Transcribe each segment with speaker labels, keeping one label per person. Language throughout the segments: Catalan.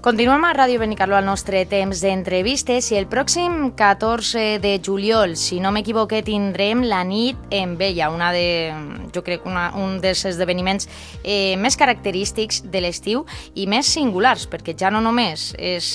Speaker 1: Continuem a Ràdio Benicarló al nostre temps d'entrevistes i el pròxim 14 de juliol, si no m'equivoqué, tindrem la nit en Vella, jo crec un dels esdeveniments més característics de l'estiu i més singulars, perquè ja no només és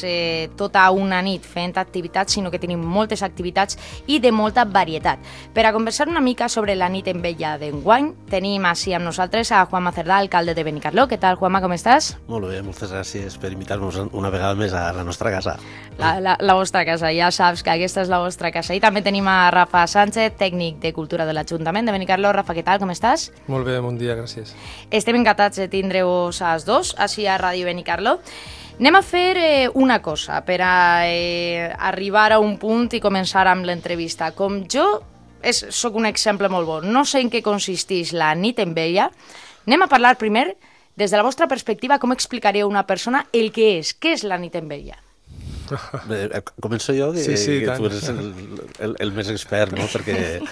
Speaker 1: tota una nit fent activitats, sinó que tenim moltes activitats i de molta varietat. Per a conversar una mica sobre la nit en Vella d'enguany, tenim així amb nosaltres a Juanma Cerdà, alcalde de Benicarló. Què tal, Juanma, com estàs?
Speaker 2: Molt bé, moltes gràcies per invitar-nos una vegada més a la nostra casa.
Speaker 1: La vostra casa, ja saps que aquesta és la vostra casa. I també tenim a Rafa Sánchez, tècnic de Cultura de l'Ajuntament de Benicarló. Rafa, què tal, com estàs?
Speaker 3: Molt bé, bon dia, gràcies.
Speaker 1: Estem encantats de tindre-vos als dos, així a Ràdio Benicarló. Anem a fer una cosa per a arribar a un punt i començar amb l'entrevista. Com jo sóc un exemple molt bo, no sé en què consisteix la nit en Vella, anem a parlar primer. Des de la vostra perspectiva, com explicaríeu a una persona el que és? Què és la nit en Vella?
Speaker 2: Bé, començo jo, que tu eres el més expert, no? Perquè,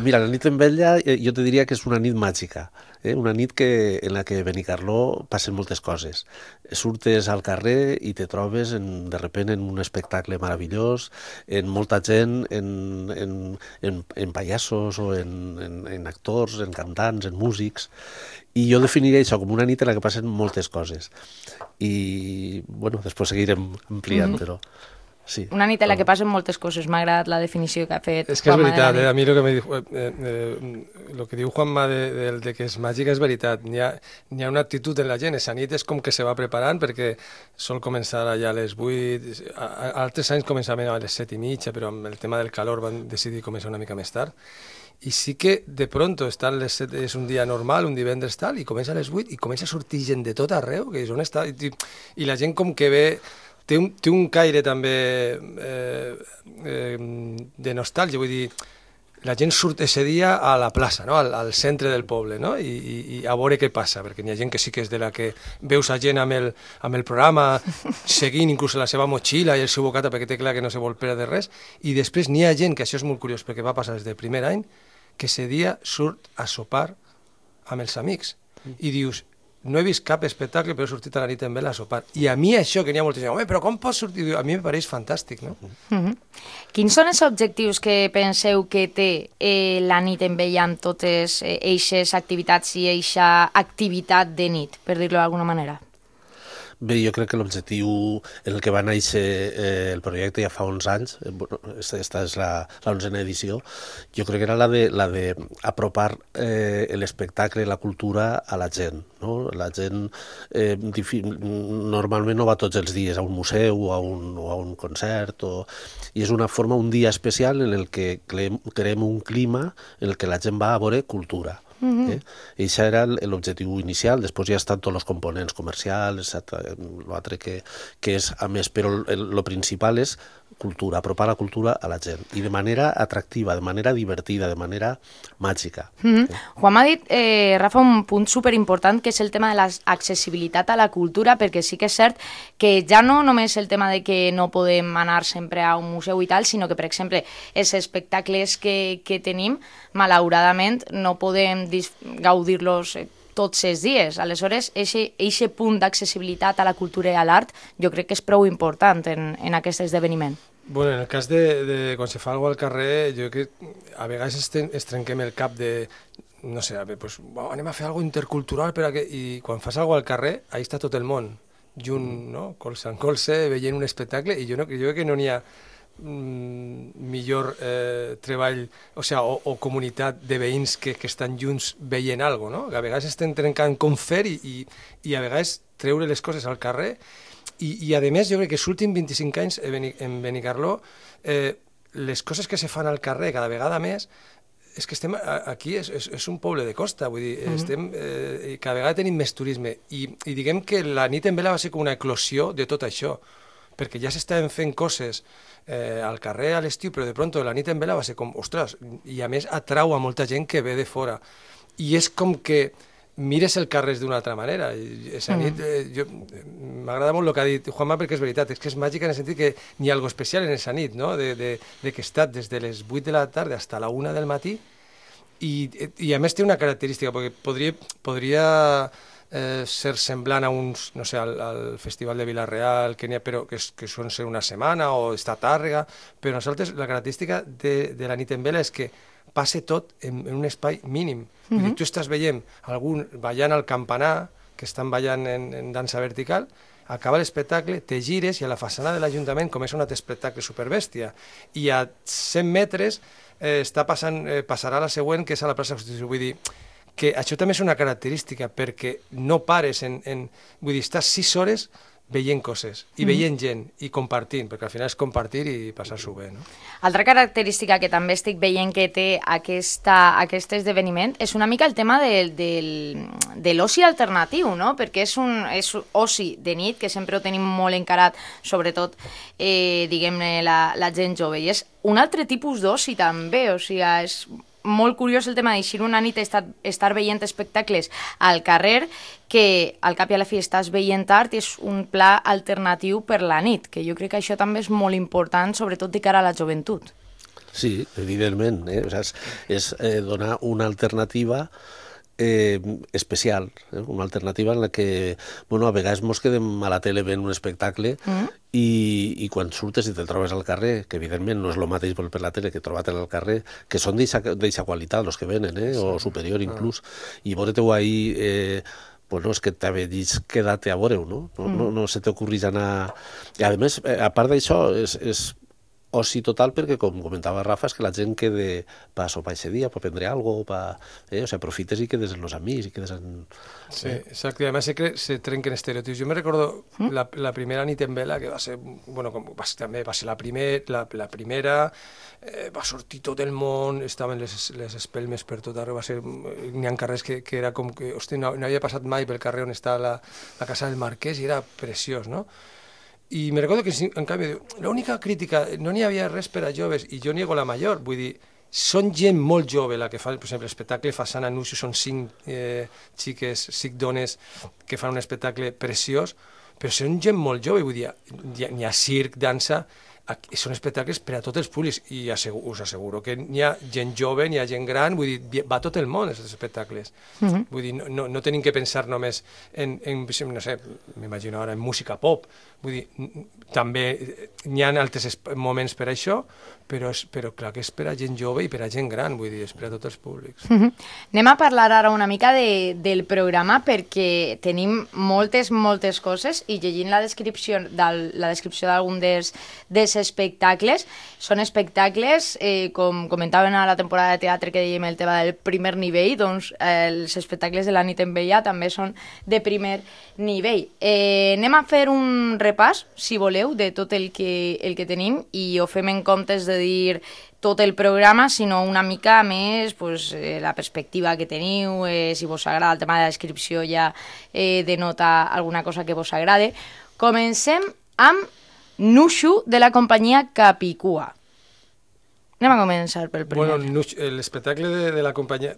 Speaker 2: mira, la nit en Vella jo te diria que és una nit màgica, una nit en la que a Benicarló passen moltes coses. Surtes al carrer i te trobes de repent en un espectacle meravellós, en molta gent, en pallassos o en actors, en cantants, en músics, i jo definiria això com una nit en la que passen moltes coses. I, bueno, després seguirem ampliant, però sí.
Speaker 1: Una nit en la que passen moltes coses. M'ha agradat la definició que ha fet Juanma.
Speaker 3: És que és veritat, a mi el que diu Juanma de que és màgica és veritat. N'hi ha una actitud en la gent. Esa nit és com que se va preparant perquè sol començar allà a les 8, altres anys començaven a les 7:30, però amb el tema del calor van decidir començar una mica més tard. I sí que de pronto és un dia normal, un divendres tal, i comença a les 8 i comença a sortir gent de tot arreu, que és on està, i la gent com que ve, té un caire també de nostàlgia, vull dir, la gent surt ese dia a la plaça, no? al centre del poble, no? I a veure què passa, perquè n'hi ha gent que sí que és de la que veus a gent amb el programa, seguint inclús la seva motxilla i el seu bocata, perquè té clar que no se vol perdre res, i després n'hi ha gent, que això és molt curiós, perquè va passar des del primer any, que ese dia surt a sopar amb els amics. I dius, no he vist cap espectacle, però he sortit a la nit en Vella a sopar. I a mi això, que n'hi ha molta gent, home, però com pots sortir? A mi em pareix fantàstic, no?
Speaker 1: Quins són els objectius que penseu que té la nit en Vella amb totes eixes activitats i eixa activitat de nit, per dir-ho d'alguna manera?
Speaker 2: Bé, jo crec que l'objectiu en el que va néixer el projecte ja fa 11 anys, esta és la 11a edició, jo crec que era la de apropar l'espectacle i la cultura a la gent. No? La gent normalment no va tots els dies a un museu o a un concert, i és una forma, un dia especial en el que creem un clima en el que la gent va a veure cultura. I això era l'objectiu inicial. Després ja estan tots els components comercials, l'altre que és a més, però el principal és cultura, apropar la cultura a la gent, i de manera atractiva, de manera divertida, de manera màgica.
Speaker 1: Juan m'ha dit, Rafa, un punt superimportant, que és el tema de l'accessibilitat a la cultura, perquè sí que és cert que ja no només el tema de que no podem anar sempre a un museu i tal, sinó que, per exemple, els espectacles que tenim, malauradament, no podem gaudir-los tots els dies. Aleshores, aquest punt d'accessibilitat a la cultura i a l'art jo crec que és prou important en aquest esdeveniment.
Speaker 3: Bueno, en el cas de quan se fa alguna cosa al carrer, jo crec que a vegades es trenquem el cap de, no sé, pues, anem a fer alguna cosa intercultural, i quan fas alguna cosa al carrer, ahí està tot el món, junt, no? Colze en colze, veient un espectacle, i jo crec que no n'hi ha millor treball, o comunitat de veïns que estan junts veient alguna cosa, no? A vegades estem trencant com fer i a vegades treure les coses al carrer, i a més jo crec que els últims 25 anys en Benicarló les coses que se fan al carrer cada vegada més, és que estem aquí, és un poble de costa, vull dir, cada vegada tenim més turisme, i diguem que la nit en Vella va ser com una eclosió de tot això, perquè ja s'estaven fent coses al carrer a l'estiu, però de pronto la nit en Vella va ser com, ostres, i a més atrau a molta gent que ve de fora, i és com que mires el carrer d'una altra manera. Esa nit, m'agrada molt el que ha dit Juanma, perquè és veritat, és que és màgica en el sentit que n'hi ha algo especial en esa nit, no? de que he estat des de les 8 de la tarda fins a la 1 del matí, i a més té una característica, perquè podria ser semblant a uns, no sé, al Festival de Vila-real, però que són ser una setmana o estar a Tàrrega, però nosaltres la característica de la nit en vela és que passa tot en un espai mínim. Vull dir, tu estàs veient algun ballant al campanar, que estan ballant en dansa vertical, acaba l'espectacle, te gires i a la façana de l'Ajuntament comença un altre espectacle superbèstia. I a 100 metres passarà la següent, que és a la plaça Constitució. Vull dir, que això també és una característica, perquè no pares vull dir, estàs 6 hores veient coses, i veient gent, i compartint, perquè al final és compartir i passar-s'ho bé, no?
Speaker 1: Altra característica que també estic veient que té aquest esdeveniment és una mica el tema de l'oci alternatiu, no? Perquè és oci de nit, que sempre ho tenim molt encarat, sobretot, diguem-ne, la gent jove, i és un altre tipus d'oci també, o sigui, és molt curiós el tema d'eixir una nit estar veient espectacles al carrer, que al cap i a la fi estàs veient art i és un pla alternatiu per la nit, que jo crec que això també és molt important, sobretot de cara a la joventut.
Speaker 2: Sí, evidentment, o sigui, és donar una alternativa especial, una alternativa en la que, bueno, a vegades mos quedem a la tele veient un espectacle i quan surtes i te'l trobes al carrer, que evidentment no és el mateix per la tele que trobar-te'l al carrer, que són d'eixa qualitat els que venen, o superior inclús, i veure-te-ho ahí, bueno, és que t'havies quedat a veure-ho, no? No se t'ocorrís anar... I a més, a part d'això, és oci total, perquè, com comentava Rafa, és que la gent quede per sopar aquest dia, per prendre alguna cosa, o sigui, aprofites i quedes amb els amics, i quedes en...
Speaker 3: Sí, exacte, i a més se trenquen estereotips. Jo me recordo la primera nit en vela, que va ser, bueno, també va ser la primera, va sortir tot el món, estaven les espelmes per tot arreu, n'hi ha carrers que era com que, hosti, no havia passat mai pel carrer on està la casa del Marquès i era preciós, no? I me recordo que, en canvi, l'única crítica, no n'hi havia res per a joves, i jo niego la major, vull dir, són gent molt jove la que fa, per exemple, l'espectacle Façana Nuxu, són 5 xiques, 5 dones que fan un espectacle preciós, però són gent molt jove, vull dir, n'hi ha circ, dansa, són espectacles per a tots els públics, i us asseguro que n'hi ha gent jove, n'hi ha gent gran, vull dir, va tot el món, aquests espectacles. Vull dir, no tenim que pensar només en, no sé, m'imagino ara, en música pop, vull dir, també n'hi ha altres moments per a això, però clar que és per a gent jove i per a gent gran, vull dir, és per a tots els públics.
Speaker 1: Anem a parlar ara una mica del programa, perquè tenim moltes coses, i llegint la descripció d'algun dels espectacles, són espectacles, com comentaven a la temporada de teatre que dèiem el tema del primer nivell, doncs els espectacles de la nit en vella també són de primer nivell. Anem a fer un repàs, si voleu, de tot el que tenim, i ho fem en comptes de dir tot el programa, sinó una mica més la perspectiva que teniu, si vos agrada el tema de la descripció ja denota alguna cosa que vos agrade. Comencem amb Nuxu, de la companyia Capicua. Anem a començar pel primer.
Speaker 3: Bueno, l'espectacle de la companyia...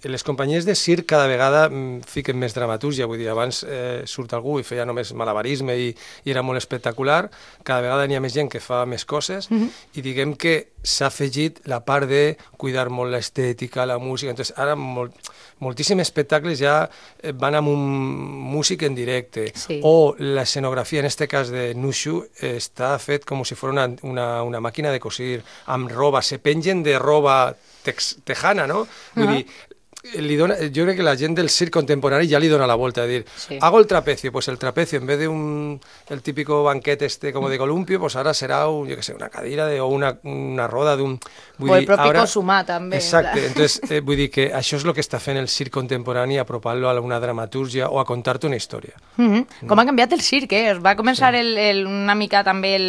Speaker 3: Les companyies de circ cada vegada fiquen més dramatúrgia, vull dir, abans surt algú i feia només malabarisme i era molt espectacular, cada vegada n'hi ha més gent que fa més coses, i diguem que s'ha afegit la part de cuidar molt l'estètica, la música, entonces ara moltíssims espectacles ja van amb un músic en directe, o l'escenografia, en este cas de Nuxu, està fet com si fos una màquina de cosir, amb roba, se pengen de roba tejana, no? Vull dir, yo creo que la gente del circo contemporáneo ya le dona la vuelta, es decir, hago el trapecio, pues el trapecio en vez de el típico banquete como de columpio, pues ahora será una cadira o una roda de un...
Speaker 1: O el propi cosumà, també.
Speaker 3: Exacte, entonces vull dir que això és el que està fent el circ contemporani, apropant-lo a una dramatúrgia o a contar-te una història.
Speaker 1: Com ha canviat el circ, es va començar una mica també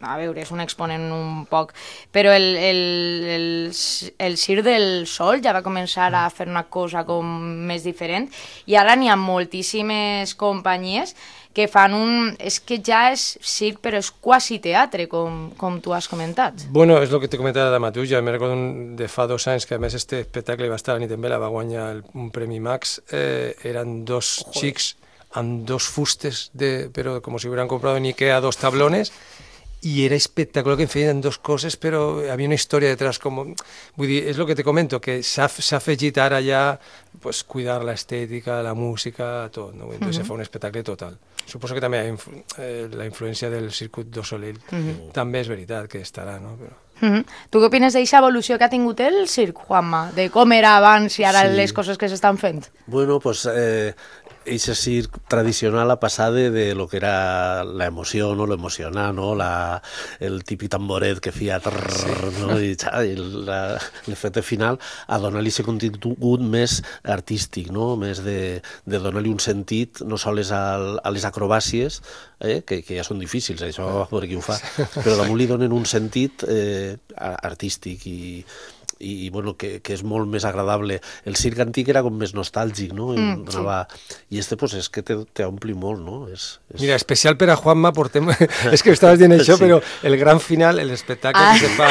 Speaker 1: a veure, és un exponent un poc, però el circ del sol ja va començar a fer una cosa com més diferent, i ara n'hi ha moltíssimes companyies que fan és que ja és circ, però és quasi teatre, com tu has comentat.
Speaker 3: Bueno, és el que t'he comentat de Matuja. Me recordo de fa 2 anys que a més este espectacle va estar a la nit en vela, va guanyar un Premi Max, eren 2 xics amb 2 fustes, però com si hubieran comprado en Ikea 2 tablones, i era espectacular que em feien dues coses, però hi havia una història detrás, vull dir, és el que te comento, que s'ha afegit ara ja pues, cuidar l'estètica, la música, tot, no? Entonces se fa un espectacle total. Suposo que també la influència del Circuit du Soleil també és veritat que estarà, no? Però...
Speaker 1: Tu què opines d'aquesta evolució que ha tingut el circ, Juanma? De com era abans i ara les coses que s'estan fent?
Speaker 2: Bueno, pues ese circ tradicional ha passat de lo que era la emoció, no? Lo emocional, no? El típic tamboret que feia no? I l'efecte final a donar-li aquest contingut més artístic, no? Més de donar-li un sentit no sols a les acrobàcies, que ja són difícils, això a veure qui ho fa, però damunt li donen un sentit artístic i bueno, que és molt més agradable. El circ antic era com més nostàlgic, no? I este pues és que t'ompli molt, no?
Speaker 3: Mira, especial per a Juanma portem... és que estaves dient això, però el gran final, l'espectacle que se fa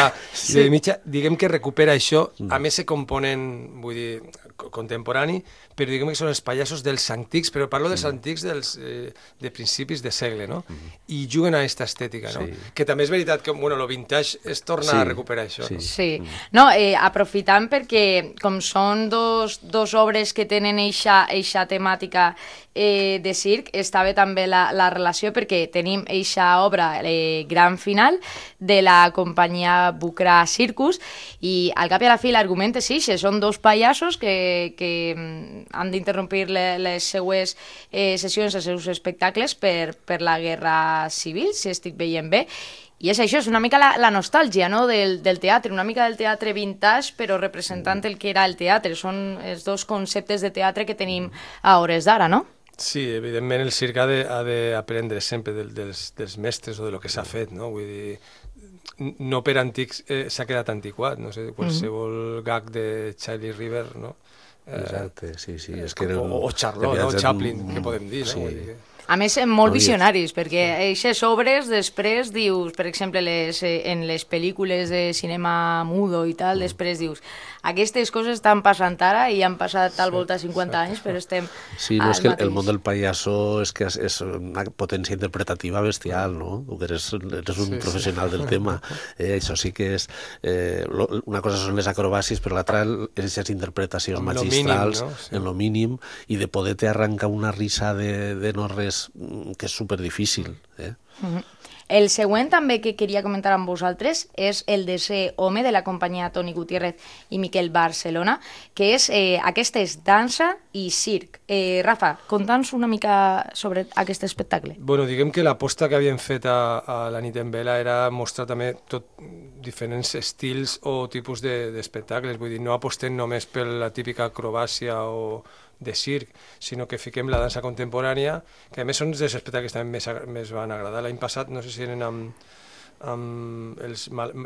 Speaker 3: de mitja, diguem que recupera això, a més se componen, vull dir, contemporani, però diguem que són els pallassos dels antics, però parlo dels antics de principis de segle, no? I juguen a aquesta estètica, no? Que també és veritat que, bueno, lo vintage es torna a recuperar això, no?
Speaker 1: Sí. No, aprofitant perquè com són dos obres que tenen eixa temàtica de circ, està bé també la relació perquè tenim eixa obra, Gran Final, de la companyia Bucra Circus, i al cap i a la fi l'argument és eixe, són dos pallassos que han d'interrompir les seues sessions, els seus espectacles per la guerra civil, si estic veient bé. I és això, és una mica la nostàlgia, no? del teatre, una mica del teatre vintage, però representant el que era el teatre. Són els dos conceptes de teatre que tenim a hores d'ara, no?
Speaker 3: Sí, evidentment el circ ha d'aprendre sempre dels mestres o de lo que s'ha fet, no? Vull dir, no per antics s'ha quedat antiquat, no sé, qualsevol gag de Charlie River, no?
Speaker 2: Exacte, sí. És que
Speaker 3: o Charlot, no? Chaplin, que podem dir, no? Vull dir que...
Speaker 1: A més, molt visionaris, perquè aquestes obres després dius, per exemple, en les pel·lícules de cinema mudo i tal, després dius, aquestes coses estan passant ara i han passat al volta 50 anys, però estem...
Speaker 2: Sí, no, és que el món del pallasso és que és una potència interpretativa bestial, no? Tu eres un professional del tema. Això sí que és... Una cosa són les acrobàcies, però l'altra és les interpretacions magistrals, en lo mínim, i de poder-te arrencar una risa de no res que és superdifícil.
Speaker 1: El següent també que queria comentar amb vosaltres és el de ser home de la companyia Toni Gutiérrez i Miquel Barcelona, que és aquesta és dansa i circ. Rafa, conta'ns una mica sobre aquest espectacle.
Speaker 3: Bueno, diguem que l'aposta que havien fet a la nit en vela era mostrar també diferents estils o tipus d'espectacles, vull dir, no apostem només per la típica acrobàcia o de circ, sinó que fiquem la dansa contemporània, que a més són dels espectacles que també més van agradar. L'any passat, no sé si eren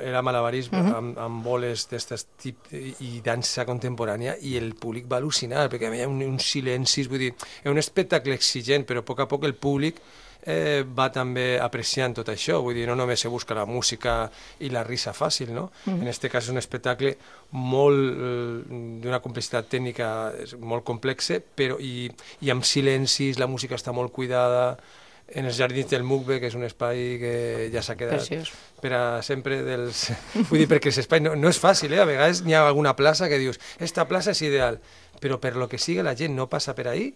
Speaker 3: era malabarisme, amb boles d'aquest tip i dansa contemporània, i el públic va al·lucinar, perquè hi havia uns silencis, vull dir, és un espectacle exigent, però a poc a poc el públic va també apreciant tot això, vull dir, no només se busca la música i la risa fàcil, no? En aquest cas és un espectacle molt d'una complexitat tècnica molt complexa, però i amb silencis, la música està molt cuidada, en els jardins del Mugbe, que és un espai que ja s'ha quedat per a sempre dels... Vull dir, perquè l'espai no és fàcil, a vegades hi ha alguna plaça que dius, esta plaça és ideal, però per lo que sigui la gent no passa per ahí,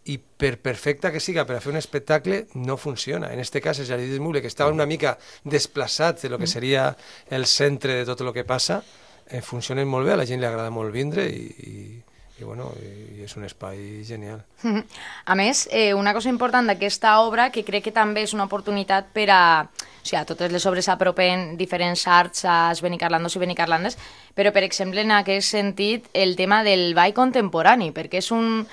Speaker 3: i per perfecta que siga per a fer un espectacle no funciona. En aquest cas, els jardins del Mugbe, que estaven una mica desplaçats de lo que seria el centre de tot el que passa, funcionen molt bé, a la gent li agrada molt vindre i és un espai genial.
Speaker 1: A més, una cosa important d'aquesta obra, que crec que també és una oportunitat per a... O sigui, a totes les obres s'apropen diferents arts als benicarlandos i benicarlandes, però, per exemple, en aquest sentit, el tema del ball contemporani, perquè és un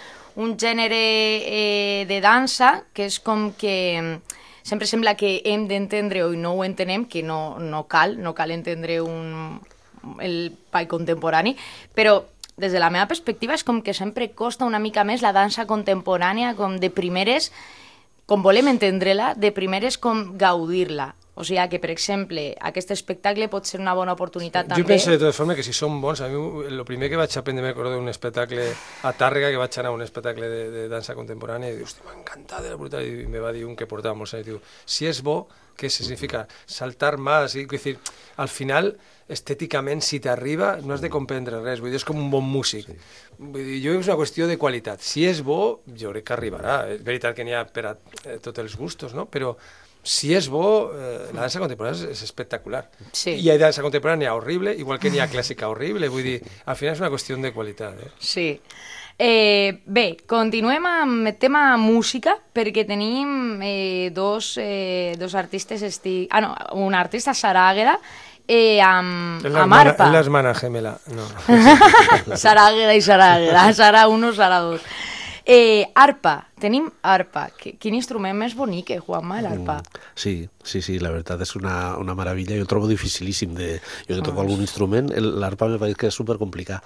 Speaker 1: gènere de dansa que és com que sempre sembla que hem d'entendre o no ho entenem, que no cal entendre el ball contemporani, però des de la meva perspectiva és com que sempre costa una mica més la dansa contemporània, com de primeres, com volem entendre-la, de primeres com gaudir-la. O sigui que, per exemple, aquest espectacle pot ser una bona oportunitat també.
Speaker 3: Jo penso de totes formes que si són bons, a mi el primer que vaig aprendre, me recordo d'un espectacle a Tàrrega, que vaig anar a un espectacle de dansa contemporània, i diu, hòstia, m'ha encantat, era brutal, i me va dir un que portava molts anys, diu, si és bo, què significa? Saltar más, és dir, al final, estèticament, si t'arriba, no has de comprendre res, vull dir, és com un bon músic. Sí. Vull dir, jo crec que és una qüestió de qualitat. Si és bo, jo crec que arribarà. És veritat que n'hi ha per a tots els gustos, no? Però si és bo, la dansa contemporània és espectacular.
Speaker 1: Sí.
Speaker 3: I hi ha dansa contemporània horrible, igual que n'hi ha clàssica horrible, vull dir, al final és una qüestió de qualitat.
Speaker 1: Sí. Bé, continuem amb el tema música, perquè tenim dos artistes, un artista, Sara Águeda, amb arpa.
Speaker 3: És l'hermana gemela, no.
Speaker 1: Sara Águeda i Sara Águeda, Sara 1, Sara 2. Arpa, tenim arpa. Quin instrument més bonic, Juanma, l'arpa?
Speaker 2: Sí, la veritat és una meravella. Jo el trobo dificilíssim. Jo que toco algun instrument, l'arpa me pareix que és supercomplicat.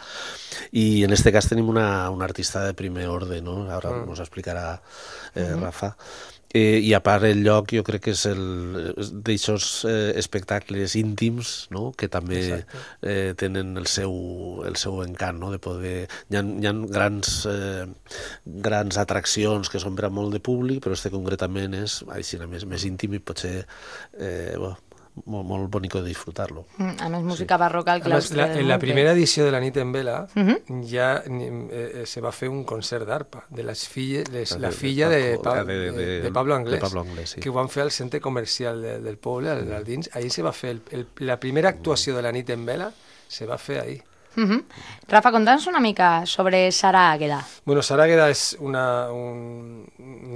Speaker 2: I en este cas tenim una artista de primer orde, no? Ara ens explicarà Rafa. I a part el lloc jo crec que és d'aixòs espectacles íntims, no? Que també tenen el seu encant, no? De poder... Hi ha grans atraccions que són per a molt de públic, però este concretament és així, més íntim i potser molt bonic de disfrutar-lo.
Speaker 1: A més, música barroca al claustre.
Speaker 3: En la primera edició de la nit en vela ja se va fer un concert d'arpa de la filla de Pablo Anglès, que ho van fer al centre comercial del poble, al dins. Ahir se va fer la primera actuació de la nit en vela, se va fer ahir.
Speaker 1: Rafa, conta'ns una mica sobre Sara Águeda.
Speaker 3: Bueno, Sara Águeda és una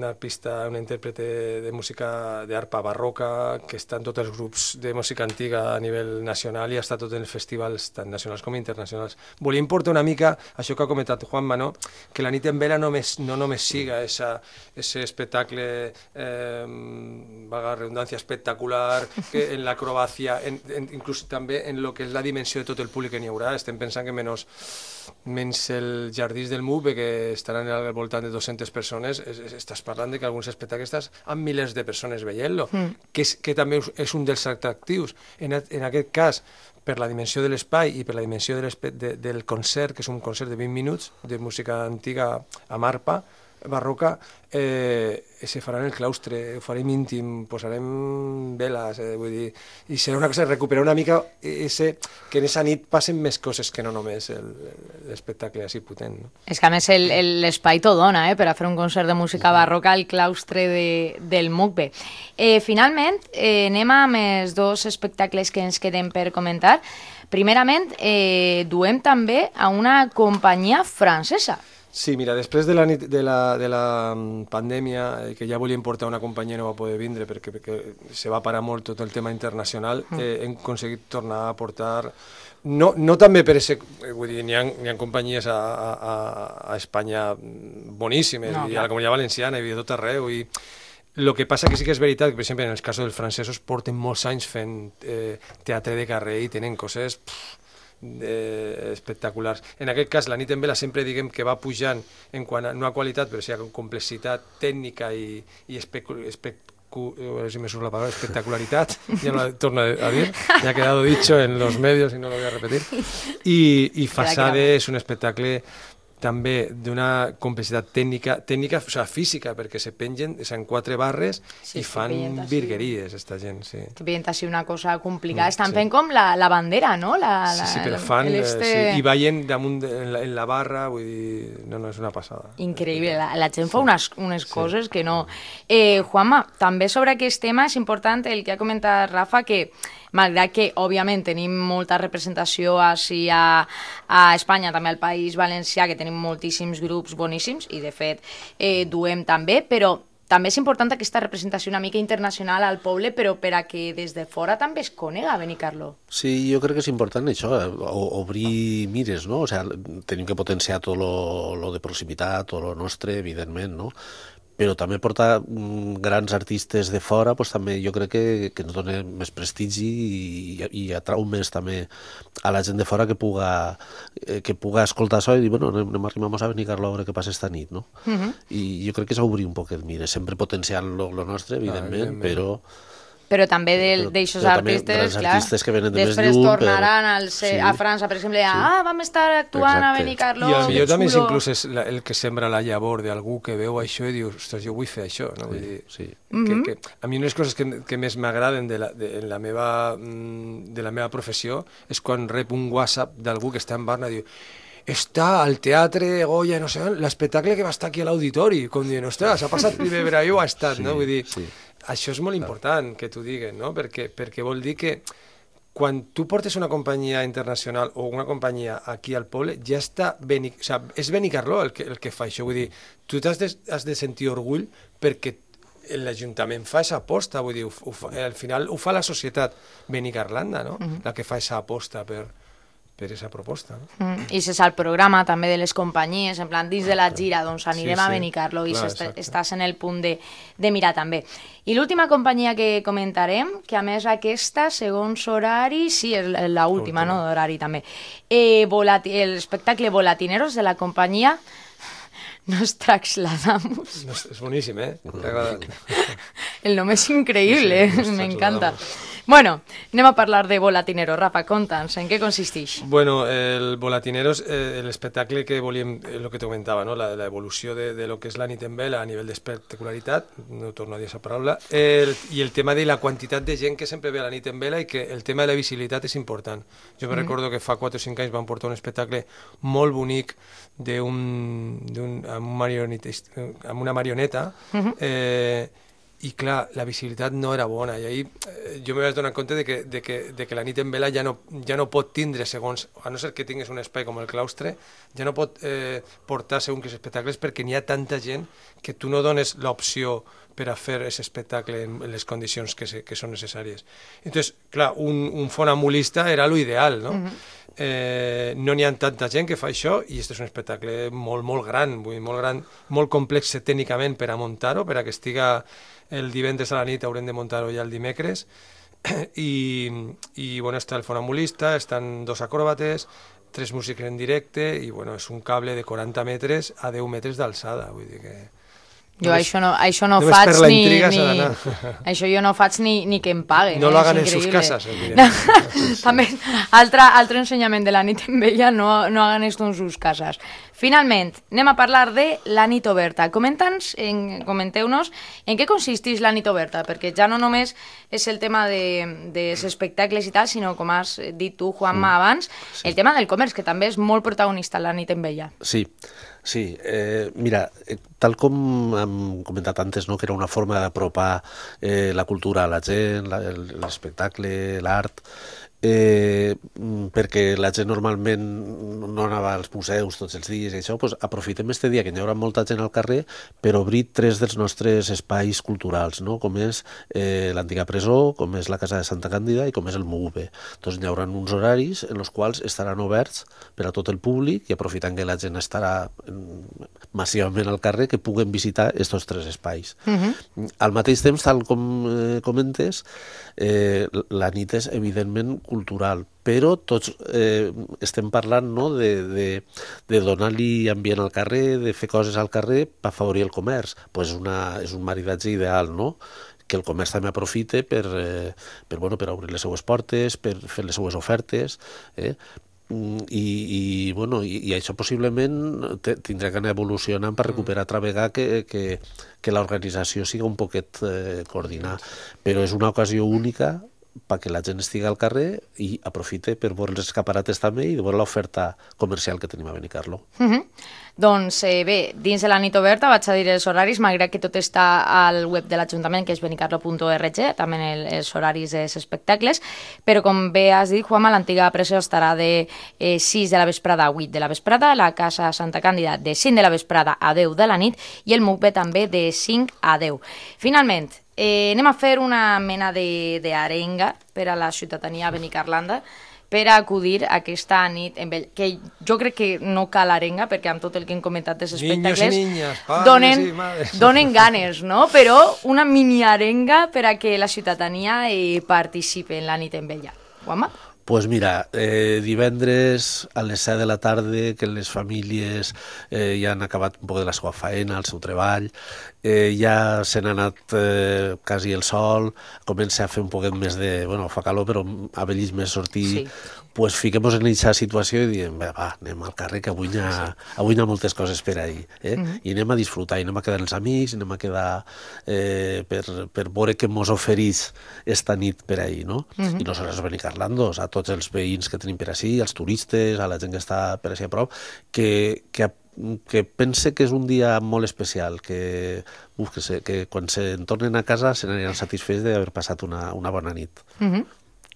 Speaker 3: arpista, una intèrprete de música d'arpa barroca que està en tots els grups de música antiga a nivell nacional i ha estat tot en festivals tant nacionals com internacionals. Volia importar una mica això que ha comentat Juanma, no? Que la nit en vela no només siga ese espectacle, vaga redundància, espectacular, que en l'acrobàcia, inclús també en lo que és la dimensió de tot el públic que n'hi haurà. Estem pensant que menys el Jardins del MUB, que estaran al voltant de 200 persones, estàs parlant de que alguns espectacles estàs amb milers de persones veient-lo, que també és un dels atractius. En aquest cas, per la dimensió de l'espai i per la dimensió del concert, que és un concert de 20 minuts de música antiga amb arpa barroca, se farà en el claustre, ho farem íntim, posarem veles, vull dir, i serà una cosa, recuperar una mica que en aquesta nit passen més coses que no només l'espectacle així potent. No?
Speaker 1: És que a més l'espai t'ho dona, per a fer un concert de música barroca al claustre del MUCBE. Finalment, anem amb els dos espectacles que ens queden per comentar. Primerament, duem també a una companyia francesa.
Speaker 3: Sí, mira, després de la pandèmia, que ja volíem portar una companyia no va poder vindre perquè se va parar molt tot el tema internacional, hem aconseguit tornar a portar... No també per ser... Vull dir, n'hi ha companyies a Espanya boníssimes, i a la Comunitat Valenciana, i a tot arreu, i... El que passa que sí que és veritat que, per exemple, en els casos dels francesos porten molts anys fent teatre de carrer i tenen coses... espectaculars. En aquest cas, la nit en vela sempre diguem que va pujant en quant a, no a qualitat, però sí a complexitat tècnica i si me surt la palabra, espectacularitat, ya no la torno a dir, ya ha quedado dicho en los medios y no lo voy a repetir. Y Fasade és un espectacle també d'una complexitat tècnica, o sigui, física, perquè se pengen en 4 barres i fan virgueries, esta gent, sí.
Speaker 1: Que veient així una cosa complicada. Estan fent com la bandera, no?
Speaker 3: Sí, però fan, i ballen damunt en la barra, vull dir, no, és una passada.
Speaker 1: Increïble, la gent fa unes coses que no... Juanma, també sobre aquest tema és important el que ha comentat Rafa, que malgrat que, òbviament, tenim molta representació així a Espanya, també al País Valencià, que tenim moltíssims grups boníssims, i de fet duem també, però també és important aquesta representació una mica internacional al poble, però per a que des de fora també es conega Benicarló.
Speaker 2: Sí, jo crec que és important això, obrir mires, no? O sigui, tenim que potenciar tot lo de proximitat, tot lo nostre, evidentment, no? Però també portar grans artistes de fora, doncs també jo crec que ens dona més prestigi i atrau més també a la gent de fora que puga escoltar això i dir, bueno, anem a Benicarló a veure què passa esta nit, no? I jo crec que és obrir un poquet, mira, sempre potenciant lo nostre, evidentment, però
Speaker 1: però també d'aixòs artistes, clar,
Speaker 2: artistes que venen de més
Speaker 1: després
Speaker 2: lluny,
Speaker 1: tornaran a França, per exemple, vam estar actuant a Benicarló,
Speaker 3: i potser també inclús és el que sembra la llavor d'algú que veu això i diu, ostres, jo vull fer això, no? Vull dir, que a mi una de les coses que més m'agraden de la meva professió és quan rep un WhatsApp d'algú que està en Barna i diu, està al Teatre Goya, no sé, l'espectacle que va estar aquí a l'auditori, com dient, ostres, ha passat primer per ahí o ha estat, no? Vull dir, això és molt important que t'ho diguen, no? Perquè vol dir que quan tu portes una companyia internacional o una companyia aquí al poble, ja està és Benicarló el que fa això, vull dir, tu has de sentir orgull perquè l'Ajuntament fa aquesta aposta, vull dir, al final ho fa la societat benicarlanda, no? La que fa aquesta aposta per aquesta proposta. No?
Speaker 1: I és el programa també de les companyies, en plan, dins de la gira, doncs anirem a Benicarló i estàs en el punt de mirar també. I l'última companyia que comentarem, que a més aquesta, segons horari, sí, és l'última, no, d'horari també, l'espectacle Volatineros de la companyia Nos Traxladamos.
Speaker 3: És boníssim, T'ha agradat.
Speaker 1: El nom és increïble, m'encanta. Bueno, anem a parlar de Volatineros. Rafa, conta'ns, en què consisteix?
Speaker 3: Bueno, el Volatineros, l'espectacle que volíem, el que te comentava, no? L'evolució de lo que és la nit en vela a nivell d'espectacularitat, no torno a dir aquesta paraula, i el tema de la quantitat de gent que sempre ve a la nit en vela i que el tema de la visibilitat és important. Jo me recordo que fa 4 o 5 anys van portar un espectacle molt bonic amb una marioneta, i clar, la visibilitat no era bona, i ahir jo me vaig donar compte de que la nit en vela ja no pot tindre segons, a no ser que tinguis un espai com el claustre, ja no pot portar segons que espectacles perquè n'hi ha tanta gent que tu no dones l'opció per a fer aquest espectacle en les condicions que són necessàries. Entonces, clar, un fonambulista era l'ideal, no? No n'hi ha tanta gent que fa això i aquest és un espectacle molt, molt gran, molt complex tècnicament per a muntar-ho, per a que estiga el divendres a la nit, haurem de muntar-ho ja el dimecres, i bueno, està el fonambulista, estan 2 acròbates, 3 músics en directe, i bueno, és un cable de 40 metres a 10 metres d'alçada, vull dir que...
Speaker 1: Jo això no faig ni... Això jo no faig ni que em paguen.
Speaker 3: No lo hagan en sus casas.
Speaker 1: També, altre ensenyament de la nit en vella, no hagan esto en sus casas. Finalment, anem a parlar de la nit oberta. Comenteu-nos en què consisteix la nit oberta, perquè ja no només és el tema dels espectacles i tal, sinó, com has dit tu, Juanma, abans, el tema del comerç, que també és molt protagonista la nit en vella.
Speaker 2: Sí, mira, tal com hem comentat antes, no, que era una forma d'apropar la cultura a la gent, l'espectacle, l'art, perquè la gent normalment no anava als museus tots els dies i això, doncs aprofitem este dia que hi haurà molta gent al carrer per obrir 3 dels nostres espais culturals, no? Com és l'antiga presó, com és la Casa de Santa Càndida i com és el MUV. Doncs hi haurà uns horaris en els quals estaran oberts per a tot el públic i aprofitant que la gent estarà massivament al carrer, que puguen visitar aquests 3 espais. Al mateix temps, tal com comentes, la nit és evidentment cultural, però tots estem parlant, no, de donar-li ambient al carrer, de fer coses al carrer per afavorir el comerç. Pues és un maridatge ideal, no? Que el comerç també aprofite per obrir les seues portes, per fer les seues ofertes, i això possiblement tindrà que anar evolucionant per recuperar altra vegada que l'organització siga un poquet coordinada, però és una ocasió única perquè la gent estigui al carrer i aprofite per veure els escaparates també i veure l'oferta comercial que tenim a Benicarló.
Speaker 1: Doncs bé, dins de la nit oberta vaig a dir els horaris, malgrat que tot està al web de l'Ajuntament, que és benicarlo.org, també els horaris dels espectacles, però com bé has dit, Juanma, l'antiga presó estarà de 6 de la vesprada a 8 de la vesprada, la Casa Santa Càndida de 5 de la vesprada a 10 de la nit i el MUCB també de 5 a 10. Finalment, anem a fer una mena d'arenga per a la ciutadania benicarlanda per acudir a aquesta nit en vell, que jo crec que no cal arenga, perquè amb tot el que hem comentat dels espectacles donen ganes, no? Però una mini arenga per a que la ciutadania participi en la nit en vella. Juanma?
Speaker 2: Pues mira, divendres a les 7 de la tarda, que les famílies ja han acabat un poc de la seva feina, el seu treball, ja se n'ha anat quasi el sol, comença a fer un poquet més de... Bueno, fa calor, però a vells més sortir... Pues fiquem-nos en aquesta situació i diem, va, anem al carrer, que avui hi ha moltes coses per ahir. I anem a disfrutar, i anem a quedar els amics, anem a quedar per veure què mos oferís esta nit per ahir, no? I no sols a Benicarlandos, a tots els veïns que tenim per així, als turistes, a la gent que està per així a prop, que pense que és un dia molt especial, que quan se'n tornen a casa se n'aniran satisfets d'haver passat una bona nit.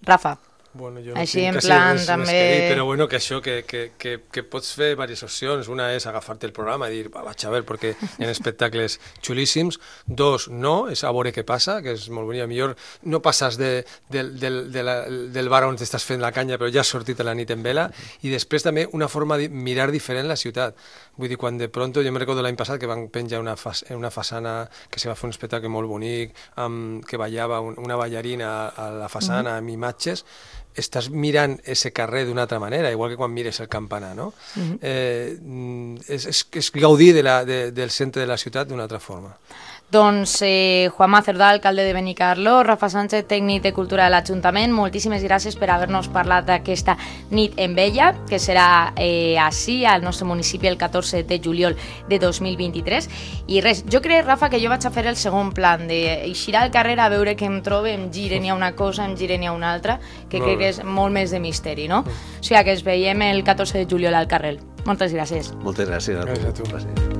Speaker 1: Rafa.
Speaker 3: Bueno, jo no
Speaker 1: així
Speaker 3: tinc
Speaker 1: en
Speaker 3: quasi
Speaker 1: plan
Speaker 3: res
Speaker 1: també...
Speaker 3: més que dir, però bueno, que això, que pots fer diverses opcions. Una és agafar-te el programa i dir, vaig a veure, perquè hi ha espectacles xulíssims. Dos, no, és a veure què passa, que és molt bonic. Millor no passes del bar on t'estàs fent la canya, però ja has sortit a la nit en vela. I després també una forma de mirar diferent la ciutat. Vull dir, quan de pronto, jo me recordo l'any passat que van penjar una façana, que se va fer un espectacle molt bonic, que ballava una ballarina a la façana amb imatges, estàs mirant ese carrer d'una altra manera, igual que quan mires el campanar, no? És gaudir del centre de la ciutat d'una altra forma.
Speaker 1: Doncs Juanma Cerdà, alcalde de Benicarló, Rafa Sánchez, tècnic de Cultura de l'Ajuntament, moltíssimes gràcies per haver-nos parlat d'aquesta nit en vella, que serà així, al nostre municipi, el 14 de juliol de 2023. I res, jo crec, Rafa, que jo vaig a fer el segon plan, d'eixir al carrer a veure què em trobo, em gire n'hi ha una cosa, em gire n'hi ha una altra, que crec que és molt més de misteri, no? O sigui, que ens veiem el 14 de juliol al carrer. Moltes gràcies.
Speaker 2: Moltes gràcies a tu.
Speaker 3: Gràcies a tu.